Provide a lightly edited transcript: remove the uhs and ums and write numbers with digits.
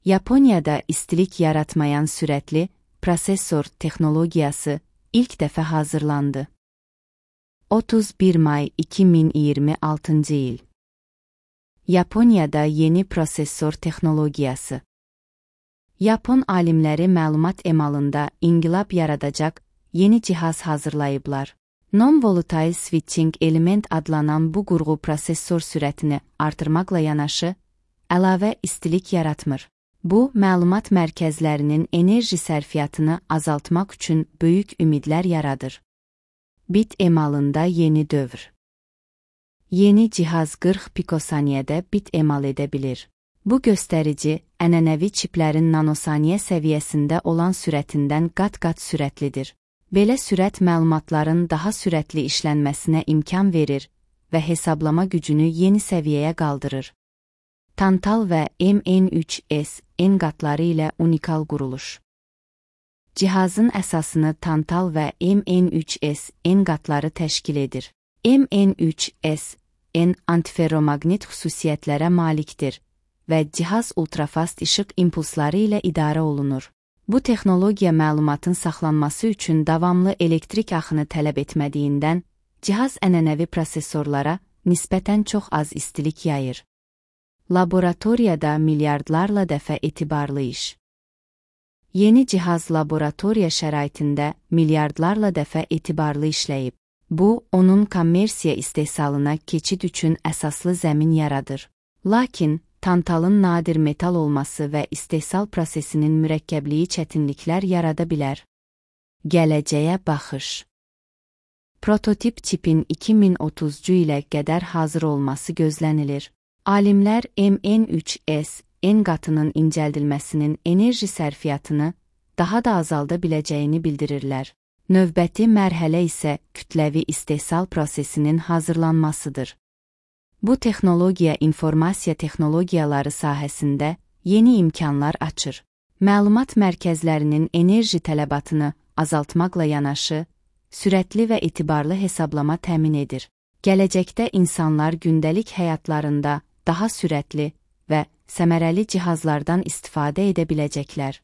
Yaponiyada istilik yaratmayan sürətli prosesor texnologiyası ilk dəfə hazırlandı. 31 may 2026 il. Yaponiyada yeni prosesor texnologiyası. Yapon alimləri məlumat emalında inqilab yaradacaq yeni cihaz hazırlayıblar. Non-volatile switching element adlanan bu qurğu prosesor sürətini artırmaqla yanaşı, əlavə istilik yaratmır. Bu, məlumat mərkəzlərinin enerji sərfiyyatını azaltmaq üçün böyük ümidlər yaradır. Bit emalında yeni dövr. Yeni cihaz 40 pikosaniyədə bit emal edə bilir. Bu göstərici, ənənəvi çiplərin nanosaniyə səviyyəsində olan sürətindən qat-qat sürətlidir. Belə sürət məlumatların daha sürətli işlənməsinə imkan verir və hesablama gücünü yeni səviyyəyə qaldırır. Tantal və MN3S N qatları ilə unikal quruluş. Cihazın əsasını tantal və MN3S N qatları təşkil edir. MN3S N antiferromaqnit xüsusiyyətlərə malikdir və cihaz ultrafast işıq impulsları ilə idarə olunur. Bu texnologiya məlumatın saxlanması üçün davamlı elektrik axını tələb etmədiyindən, cihaz ənənəvi prosesorlara nisbətən çox az istilik yayır. Laboratoriyada milyardlarla dəfə etibarlı iş. Yeni cihaz laboratoriya şəraitində milyardlarla dəfə etibarlı işləyib. Bu, onun kommersiya istehsalına keçid üçün əsaslı zəmin yaradır. Lakin, tantalın nadir metal olması və istehsal prosesinin mürəkkəbliyi çətinliklər yarada bilər. Gələcəyə baxış. Prototip çipin 2030-cu ilə qədər hazır olması gözlənilir. Alimlər MN3S N qatının incəldilməsinin enerji sərfiyyatını daha da azalda biləcəyini bildirirlər. Növbəti mərhələ isə kütləvi istehsal prosesinin hazırlanmasıdır. Bu texnologiya informasiya texnologiyaları sahəsində yeni imkanlar açır. Məlumat mərkəzlərinin enerji tələbatını azaltmaqla yanaşı, sürətli və etibarlı hesablama təmin edir. Gələcəkdə insanlar gündəlik həyatlarında daha sürətli və səmərəli cihazlardan istifadə edə biləcəklər.